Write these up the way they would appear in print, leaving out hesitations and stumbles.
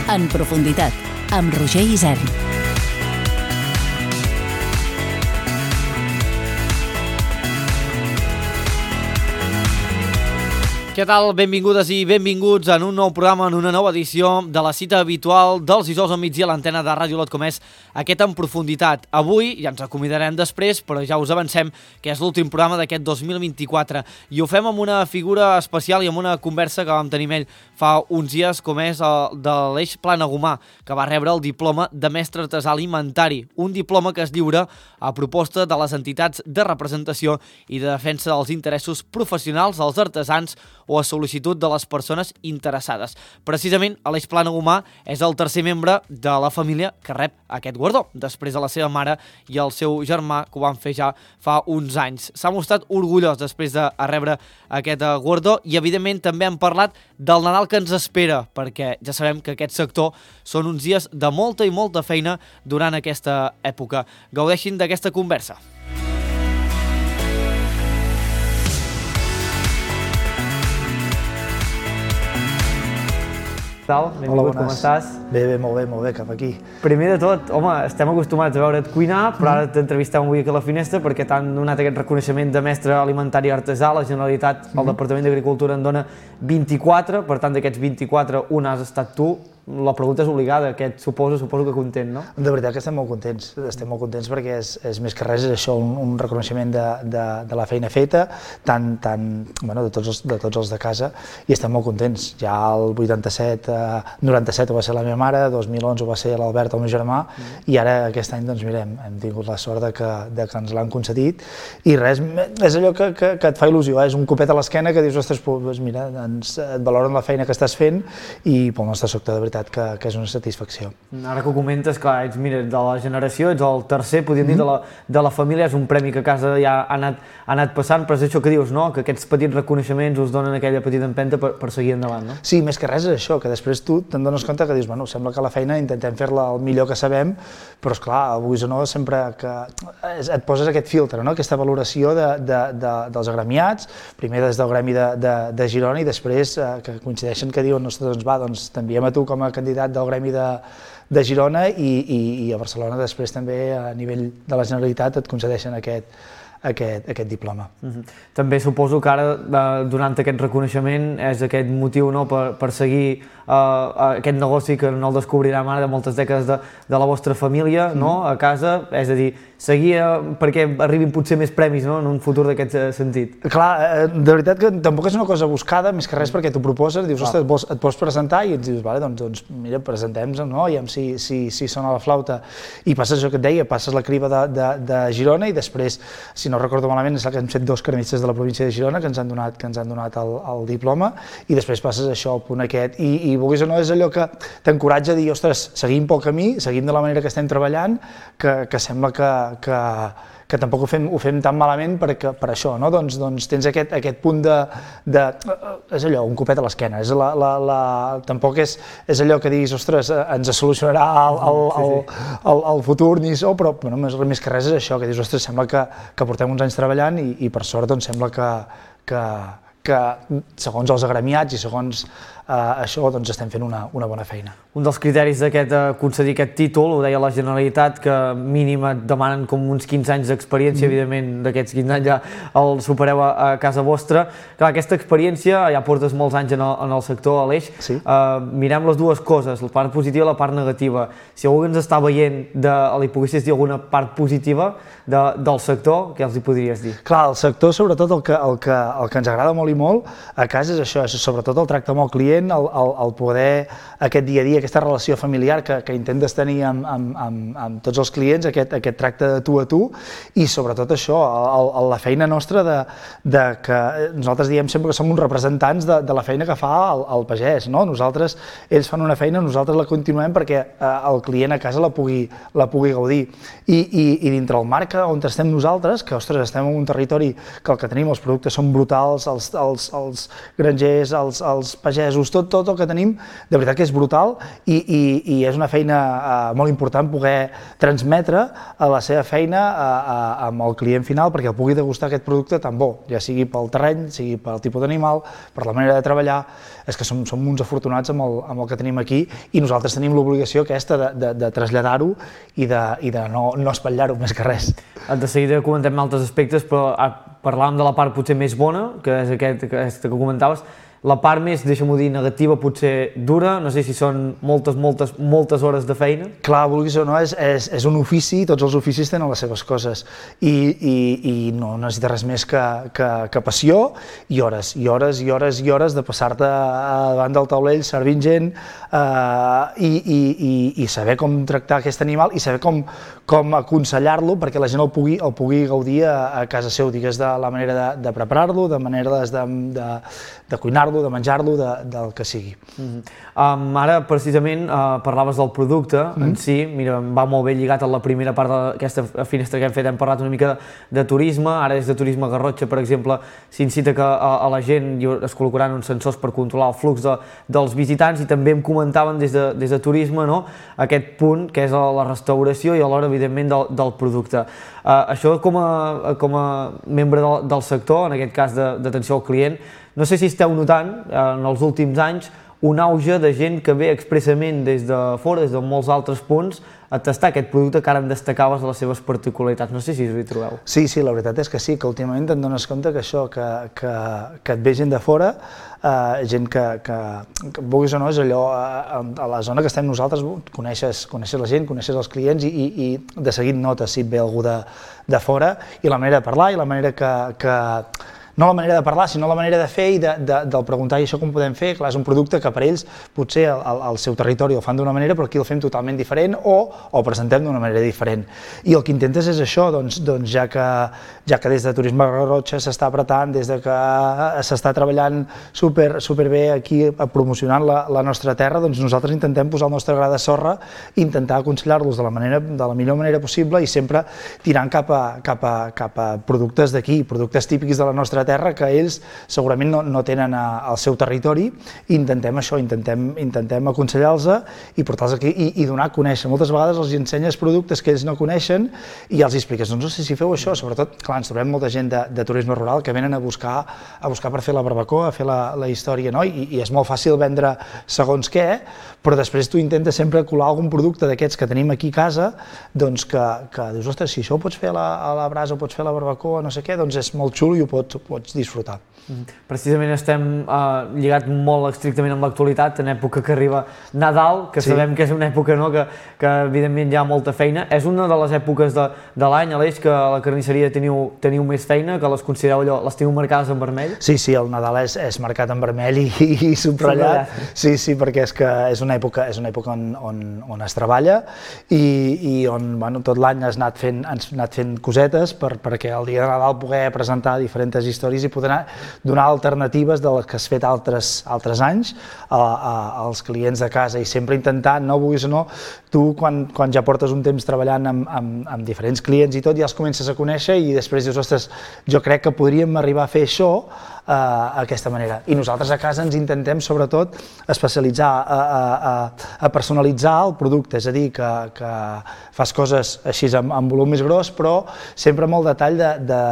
En profunditat, amb Roger Isern. Què tal? Benvingudes i benvinguts en un nou programa, en una nova edició de la cita habitual dels dijous al migdia a l'antena de Ràdio Olot, com és aquest En profunditat. Avui ja ens acomiadarem després, però ja us avancem que és l'últim programa d'aquest 2024 i ho fem amb una figura especial i amb una conversa que vam tenir amb ell fa uns dies, com és el de l'Eix Planagumà, que va rebre el diploma de mestre artesà alimentari, un diploma que es lliura a proposta de les entitats de representació i de defensa dels interessos professionals dels artesans o a sol·licitud de les persones interessades. Precisament, Aleix Planagumà és el tercer membre de la família que rep aquest guardó, després de la seva mare i el seu germà, que ho van fer ja fa uns anys. S'ha mostrat orgullós després de rebre aquest guardó i, evidentment, també hem parlat del Nadal que ens espera, perquè ja sabem que aquest sector són uns dies de molta i molta feina durant aquesta època. Gaudeixin d'aquesta conversa. Benvingut, com estàs? Bé, molt bé, cap aquí. Primer de tot, home, estem acostumats a veure't cuinar, però ara t'entrevistem avui aquí a la finestra perquè t'han donat aquest reconeixement de mestre alimentari artesà. La Generalitat, el Departament d'Agricultura en dona 24, per tant d'aquests 24, un has estat tu. La pregunta és obligada, aquest suposo que content, no? De veritat que estem molt contents perquè és més que res és això, un reconeixement de la feina feta, de tots els de casa, i estem molt contents. Ja el 97 va ser la meva mare, 2011 va ser l'Albert, el meu germà, i ara aquest any, doncs mira, hem tingut la sort de que ens l'han concedit, i res, és allò que et fa il·lusió, és un copet a l'esquena que dius, ostres, mira, et valoren la feina que estàs fent, i pel nostre sector, de veritat, que és una satisfacció. Ara que ho comentes, clar, ets de la generació, ets el tercer, podríem dir, de la família, és un premi que a casa ja ha anat passant, però és això que dius, no?, que aquests petits reconeixements us donen aquella petita empenta per seguir endavant, no? Sí, més que res és això, que després tu te'n dones compte que dius, bueno, sembla que la feina intentem fer-la el millor que sabem, però esclar, avui o no, sempre que et poses aquest filtre, no?, aquesta valoració dels agremiats, primer des del gremi de Girona i després que coincideixen que diuen, ostres, doncs t'enviem a tu com a candidat del gremi de Girona i a Barcelona després també a nivell de la Generalitat et concedeixen aquest diploma. També suposo que ara, donant aquest reconeixement, és aquest motiu per seguir aquest negoci que no el descobrirem ara de moltes dècades de la vostra família a casa, és a dir, seguir perquè arribin potser més premis en un futur d'aquest sentit. Clar, de veritat que tampoc és una cosa buscada, més que res perquè t'ho proposes, dius, ostres, et pots presentar i ens dius, vale, doncs mira, presentem-nos, no? I si sona la flauta. I passes això que et deia, passes la criba de Girona i després, si no recordo malament, és que hem fet 2 cremistes de la província de Girona que ens han donat el diploma i després passes això al punt aquest i vulguis o no és allò que t'encoratja a dir, ostres, seguim pel camí, seguim de la manera que estem treballant, que sembla que tampoc ho fem tan malament per això, no? Doncs tens aquest punt és allò, un copet a l'esquena, tampoc és allò que diguis, ostres, ens solucionarà el futur ni això, però més que res és això, que dius, ostres, sembla que portem uns anys treballant i per sort doncs sembla que segons els agremiats i segons això doncs estem fent una bona feina. Un dels criteris d'aquest concedir aquest títol, ho deia la Generalitat, que mínim et demanen com uns 15 anys d'experiència, evidentment d'aquests 15 anys ja el supereu a casa vostra. Clar, aquesta experiència, ja portes molts anys en el sector, Aleix, mirem les dues coses, la part positiva i la part negativa. Si algú ens està veient, li poguessis dir alguna part positiva del sector, què els hi podries dir? Clar, el sector, sobretot el que ens agrada molt i molt a casa és això, és sobretot el tracte amb el client, el poder, aquest dia a dia, aquesta relació familiar que intentes tenir amb tots els clients, aquest tracte de tu a tu i sobretot això, la feina nostra de que nosaltres diem sempre que som uns representants de la feina que fa el pagès, no? Ells fan una feina, nosaltres la continuem perquè el client a casa la pugui gaudir i dintre el marc on estem nosaltres, que ostres, estem en un territori que el que tenim, els productes són brutals, els grangers, els pagesos, tot el que tenim, de veritat que és brutal i és una feina molt important poder transmetre la seva feina amb el client final perquè el pugui degustar aquest producte tan bo, ja sigui pel terreny, sigui pel tipus d'animal, per la manera de treballar. És que som uns afortunats amb el que tenim aquí i nosaltres tenim l'obligació aquesta de traslladar-ho i de no espatllar-ho més que res. De seguida comentem altres aspectes, però parlàvem de la part potser més bona, que és aquesta que comentaves. La part més, deixa'm-ho dir, negativa, potser dura, no sé si són moltes hores de feina. Clar, vulguis o no, és un ofici, tots els oficis tenen les seves coses i no necessites res més que passió i hores de passar-te davant del taulell servint gent i saber com tractar aquest animal i saber com aconsellar-lo perquè la gent el pugui gaudir a casa seu, digues, de la manera de preparar-lo, de manera de cuinar-lo, de menjar-lo, del que sigui. Ara, precisament, parlaves del producte en si, mira, va molt bé lligat a la primera part d'aquesta finestra que hem fet, hem parlat una mica de turisme, ara des de Turisme Garrotxa, per exemple, s'incita que a la gent es col·locaran uns sensors per controlar el flux dels visitants i també em comentaven des de Turisme aquest punt que és la restauració i alhora, evidentment, del producte. Això com a membre del sector, en aquest cas d'atenció al client, no sé si esteu notant en els últims anys un auge de gent que ve expressament des de fora, des de molts altres punts, a tastar aquest producte que ara em destacaves de les seves particularitats. No sé si us hi trobeu. Sí, la veritat és que sí, que últimament te'n dones compte que això, que et ve gent de fora, gent que vulguis o no, és allò, a la zona que estem nosaltres, coneixes la gent, coneixes els clients i de seguit notes si et ve algú de fora i la manera de parlar i la manera no la manera de parlar, sinó la manera de fer i del preguntar i això com podem fer. Clar, és un producte que per ells potser al seu territori el fan d'una manera però aquí el fem totalment diferent o el presentem d'una manera diferent. I el que intentes és això, doncs ja que des de Turisme Garrotxa s'està apretant, des de que s'està treballant superbé aquí promocionant la nostra terra, doncs nosaltres intentem posar el nostre gra de sorra i intentar aconsellar-los de la millor manera possible i sempre tirant cap a productes d'aquí, productes típics de la nostra terra que ells segurament no tenen al seu territori i intentem això, intentem aconsellar-los i portar-los aquí i donar a conèixer. Moltes vegades els ensenyes productes que ells no coneixen i els expliques, doncs no sé si feu això, sobretot, clar, ens trobem molta gent de turisme rural que venen a buscar per fer la barbacoa, a fer la història, no? I és molt fàcil vendre segons què, però després tu intentes sempre colar algun producte d'aquests que tenim aquí a casa, doncs que dius, ostres, si això ho pots fer a la brasa, ho pots fer a la barbacoa, no sé què, doncs és molt xulo i ho pots disfrutar. Precisament estem lligats molt estrictament amb l'actualitat, en època que arriba Nadal, que sabem que és una època que evidentment hi ha molta feina. És una de les èpoques de l'any, Aleix, que a la carnisseria teniu més feina, que les considereu allò, les teniu marcades en vermell? Sí, el Nadal és marcat en vermell i subratllat. Sí, perquè és que és una època on es treballa i on tot l'any has anat fent cosetes perquè el dia de Nadal poder presentar diferents històries i poder donar alternatives de les que has fet altres anys als clients de casa i sempre intentar, no vulguis o no, tu quan ja portes un temps treballant amb diferents clients i tot ja els comences a conèixer i després dius, ostres, jo crec que podríem arribar a fer això d'aquesta manera. I nosaltres a casa ens intentem sobretot especialitzar, a personalitzar el producte, és a dir, que fas coses així amb volum més gros, però sempre amb el detall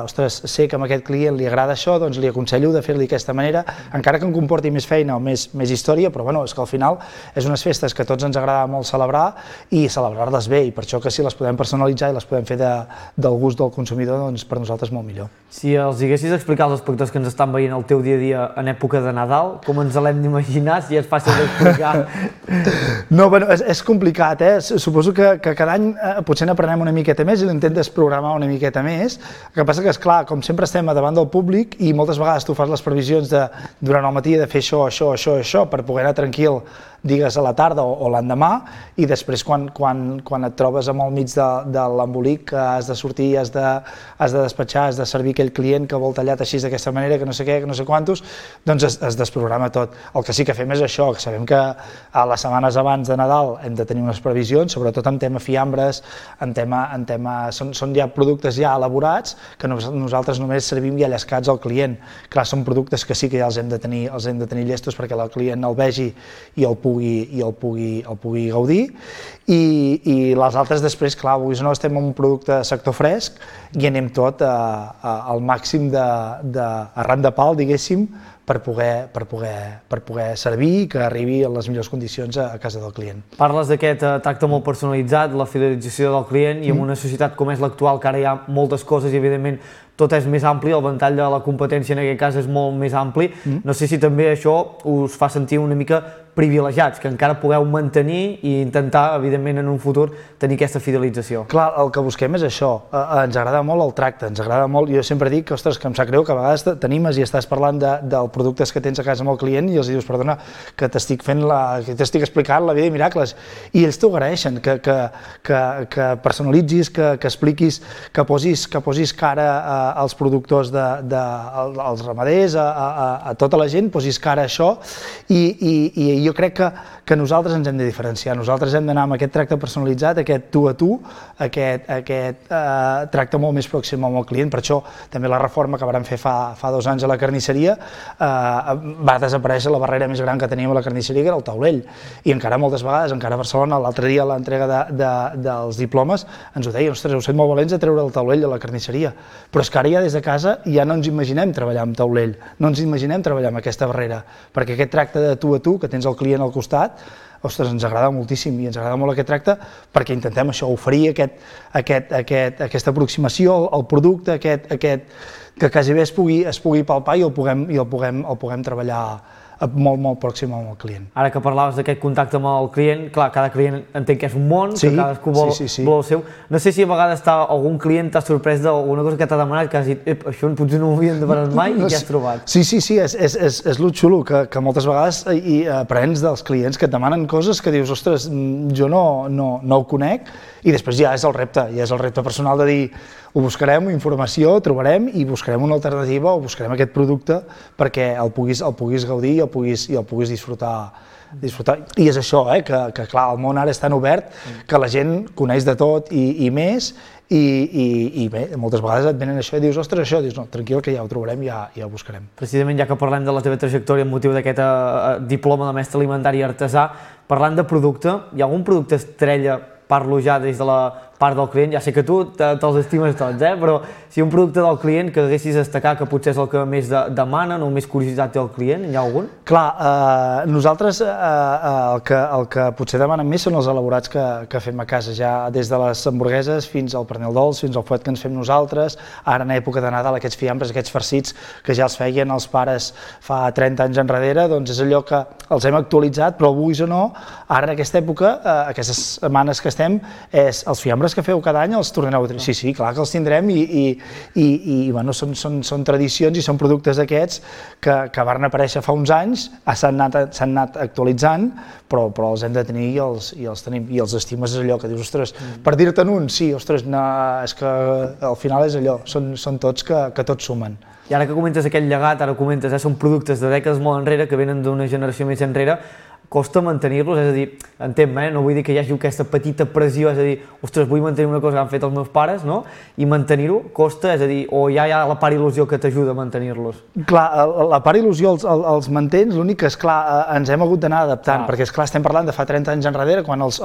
ostres, sé que a aquest client li agrada això, doncs li aconsello de fer-li d'aquesta manera, encara que em comporti més feina o més història, però bueno, és que al final és unes festes que a tots ens agrada molt celebrar i celebrar-les bé, i per això que si les podem personalitzar i les podem fer del gust del consumidor, doncs per nosaltres molt millor. Si els haguessis explicat als espectadors que ens estan veient el teu dia a dia en època de Nadal, com ens l'hem d'imaginar, si és fàcil d'explicar? No, bueno, és complicat, suposo que cada any potser n'aprenem una miqueta més i l'intentes programar una miqueta més. El que passa que, esclar, com sempre estem davant del públic i moltes vegades tu fas les previsions durant el matí de fer això, per poder anar tranquil digues a la tarda o l'endemà, i després quan et trobes amb el mig de l'embolic, que has de sortir, has de despatxar, has de servir aquell client que vol tallat així d'aquesta manera, que no sé què, que no sé quantos, doncs es desprograma tot. El que sí que fem és això, que sabem que a les setmanes abans de Nadal hem de tenir unes previsions, sobretot en tema fiambres, són ja productes ja elaborats que nosaltres només servim ja llescats al client. Clar, són productes que sí que ja els hem de tenir llestos perquè el client el vegi i el pugui gaudir, i les altres després, clar, avui no estem en un producte sector fresc i anem tot al màxim arran de pal, diguéssim, per poder servir i que arribi en les millors condicions a casa del client. Parles d'aquest tracte molt personalitzat, la fidelització del client, i en una societat com és l'actual, que ara hi ha moltes coses i evidentment tot és més ampli, el ventall de la competència en aquest cas és molt més ampli. No sé si també això us fa sentir una mica privilegiats, que encara pugueu mantenir i intentar, evidentment, en un futur tenir aquesta fidelització. Clar, el que busquem és això, ens agrada molt el tracte, ens agrada molt, jo sempre dic que, ostres, que em sap greu que a vegades t'animes i estàs parlant dels productes que tens a casa amb el client i els dius, perdona, que t'estic explicant la vida de miracles, i ells t'ho agraeixen, que personalitzis, que expliquis, que posis cara als productors, als ramaders, a tota la gent, posis cara a això, i jo crec que nosaltres ens hem de diferenciar, nosaltres hem d'anar amb aquest tracte personalitzat, aquest tu a tu, aquest tracte molt més pròxim amb el client. Per això també la reforma que vam fer fa 2 anys a la carnisseria va desaparèixer la barrera més gran que teníem a la carnisseria, que era el taulell, i encara moltes vegades, encara a Barcelona, l'altre dia a l'entrega dels diplomes ens ho deien, ostres, heu set molt valents de treure el taulell a la carnisseria, però és que ara ja des de casa ja no ens imaginem treballar amb taulell, no ens imaginem treballar amb aquesta barrera, perquè aquest tracte de tu a tu, que tens el client al costat, ostres, ens agrada moltíssim i ens agrada molt aquest tracte perquè intentem això, oferir aquesta aproximació al producte, que quasi bé es pugui palpar i el puguem treballar molt pròxim amb el client. Ara que parlaves d'aquest contacte amb el client, clar, cada client entenc que és un món, que cadascú vol el seu. No sé si a vegades algun client t'ha sorprès d'alguna cosa que t'ha demanat, que has dit, això potser no ho havíem demanat mai, i què has trobat? Sí, és el xulo, que moltes vegades aprens dels clients que et demanen coses que dius, ostres, jo no ho conec, i després ja és el repte personal de dir, ho buscarem, informació, trobarem i buscarem una alternativa o buscarem aquest producte perquè el puguis gaudir i el puguis disfrutar. I és això, que clar, el món ara és tan obert que la gent coneix de tot i més, i bé, moltes vegades et venen això i dius, ostres, això, dius, no, tranquil, que ja ho trobarem, ja ho buscarem. Precisament, ja que parlem de la teva trajectòria amb motiu d'aquest diploma de mestre alimentari artesà, parlant de producte, hi ha algun producte estrella, parlo ja des de la part del client, ja sé que tu te'ls estimes tots, però si un producte del client que haguessis destacar que potser és el que més demanen o més curiositat té el client, hi ha algun? Clar, nosaltres el que potser demanen més són els elaborats que fem a casa, ja des de les hamburgueses fins al pernil dolç, fins al fuet que ens fem nosaltres, ara en època de Nadal aquests fiambres, aquests farcits que ja els feien els pares fa 30 anys enrere, doncs és allò que els hem actualitzat, però vulguis o no, ara en aquesta època, aquestes setmanes que estem, els fiambres que feu cada any els tornareu a tenir. Sí, clar que els tindrem i bueno, són tradicions i són productes d'aquests que van aparèixer fa uns anys, s'han anat actualitzant, però els hem de tenir i els tenim. I els estimes és allò que dius, ostres, per dir-te'n un, sí, ostres, és que al final és allò, són tots que tots sumen. I ara que comentes aquest llegat, ara comentes, són productes de dècades molt enrere, que venen d'una generació més enrere, costa mantenir-los, és a dir, entenc, no vull dir que hi hagi aquesta petita pressió, és a dir, ostres, vull mantenir una cosa que han fet els meus pares, no? I mantenir-ho costa, és a dir, o ja hi ha la part il·lusió que t'ajuda a mantenir-los? Clar, la part il·lusió els mantens, l'únic que, esclar, ens hem hagut d'anar adaptant, perquè, esclar, estem parlant de fa 30 anys enrere, quan els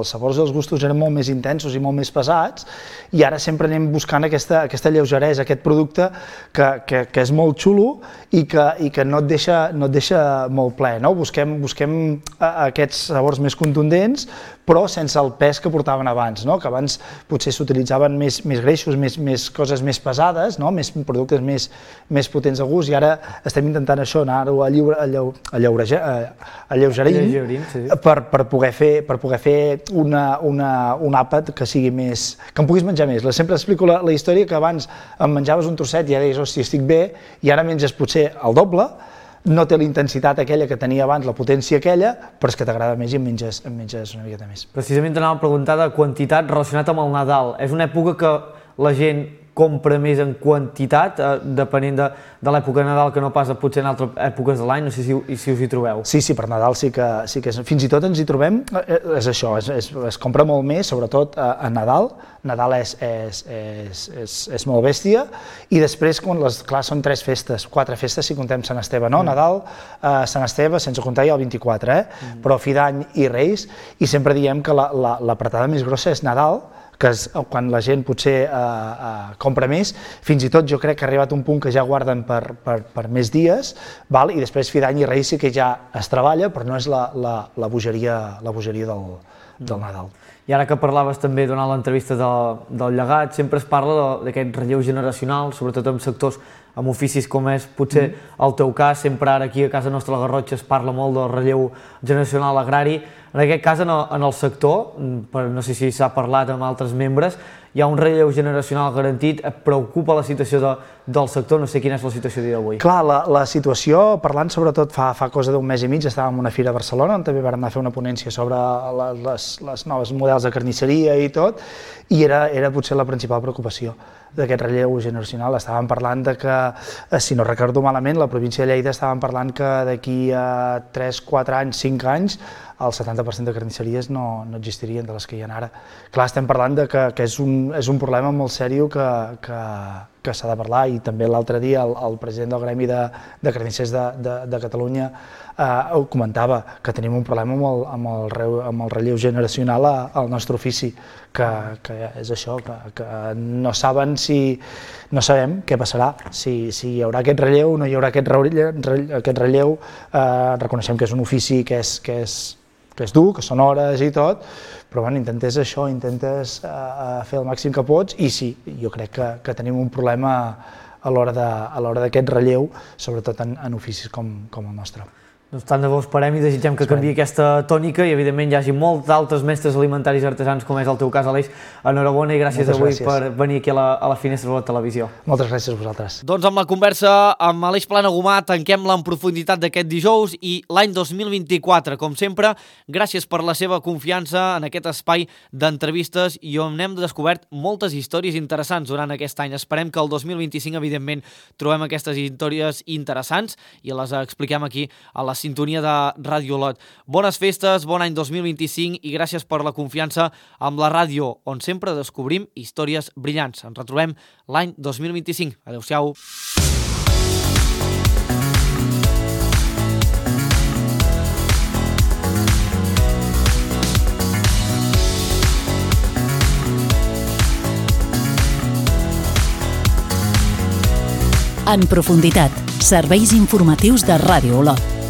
sabors i els gustos eren molt més intensos i molt més pesats, i ara sempre anem buscant aquesta lleugeresa, aquest producte que és molt xulo i que no et deixa molt ple, no? Busquem aquests sabors més contundents, però sense el pes que portaven abans, no? Que abans potser s'utilitzaven més greixos, més coses més pesades, no? Més productes més potents de gust, i ara estem intentant això, anar-ho alleugerint per poder fer un àpat que sigui més... que em puguis menjar més. Sempre explico la història que abans em menjaves un trosset i ja deies, hòstia, estic bé, i ara menges potser el doble, no té la intensitat aquella que tenia abans, la potència aquella, però és que t'agrada més i en menges una miqueta més. Precisament t'anava a preguntar de quantitat relacionat amb el Nadal. És una època que la gent compra més en quantitat, depenent de l'època de Nadal, que no pas potser en altres èpoques de l'any, no sé si us hi trobeu. Sí, per Nadal sí que fins i tot ens hi trobem, és això, es compra molt més, sobretot a Nadal. Nadal és molt bèstia, i després, clar, són 3 festes, 4 festes si contem Sant Esteve, no? Nadal, Sant Esteve, sense comptar ja el 24, però fi d'any i Reis, i sempre diem que l'apretada més grossa és Nadal, que és quan la gent potser compra més, fins i tot jo crec que ha arribat un punt que ja guarden per més dies, i després fi d'any i Reis sí que ja es treballa, però no és la bogeria del Nadal. I ara que parlaves també durant l'entrevista del llegat, sempre es parla d'aquest relleu generacional, sobretot en sectors, amb oficis com és potser el teu cas, sempre ara aquí a casa nostra a la Garrotxa es parla molt del relleu generacional agrari. En aquest cas, en el sector, no sé si s'ha parlat amb altres membres, hi ha un relleu generacional garantit, et preocupa la situació del sector, no sé quina és la situació d'avui. Clar, la situació, parlant sobretot fa cosa d'un mes i mig, estàvem en una fira a Barcelona, on també vam anar a fer una ponència sobre les noves models de carnisseria i tot, i era potser la principal preocupació d'aquest relleu generacional. Estàvem parlant de que, si no recordo malament, la província de Lleida estàvem parlant que d'aquí a 3, 4 anys, 5 anys, el 70% de carnisseries no existirien de les que hi ha ara. Clar, estem parlant que és un problema molt seriós que s'ha de parlar, i també l'altre dia el president del Gremi de Carnissers de Catalunya ho comentava, que tenim un problema amb el relleu generacional al nostre ofici, que és això, que no sabem què passarà, si hi haurà aquest relleu o no hi haurà aquest relleu. Reconeixem que és un ofici que és dur, que són hores i tot, però intentes això, intentes fer el màxim que pots, i sí, jo crec que tenim un problema a l'hora d'aquest relleu, sobretot en oficis com el nostre. Doncs tant de bo esperem i desitgem que canviï aquesta tònica i evidentment hi hagi molts d'altres mestres alimentaris artesans, com és el teu cas, Aleix. Enhorabona i gràcies avui per venir aquí a la finestra de la televisió. Moltes gràcies a vosaltres. Doncs amb la conversa amb Aleix Planagumà tanquem-la en profunditat d'aquest dijous i l'any 2024, com sempre, gràcies per la seva confiança en aquest espai d'entrevistes i on hem descobert moltes històries interessants durant aquest any. Esperem que el 2025, evidentment, trobem aquestes històries interessants i les expliquem aquí a la sintonia de Ràdio Olot. Bones festes, bon any 2025 i gràcies per la confiança amb la ràdio, on sempre descobrim històries brillants. Ens retrobem l'any 2025. Adéu-siau. En profunditat, serveis informatius de Ràdio Olot.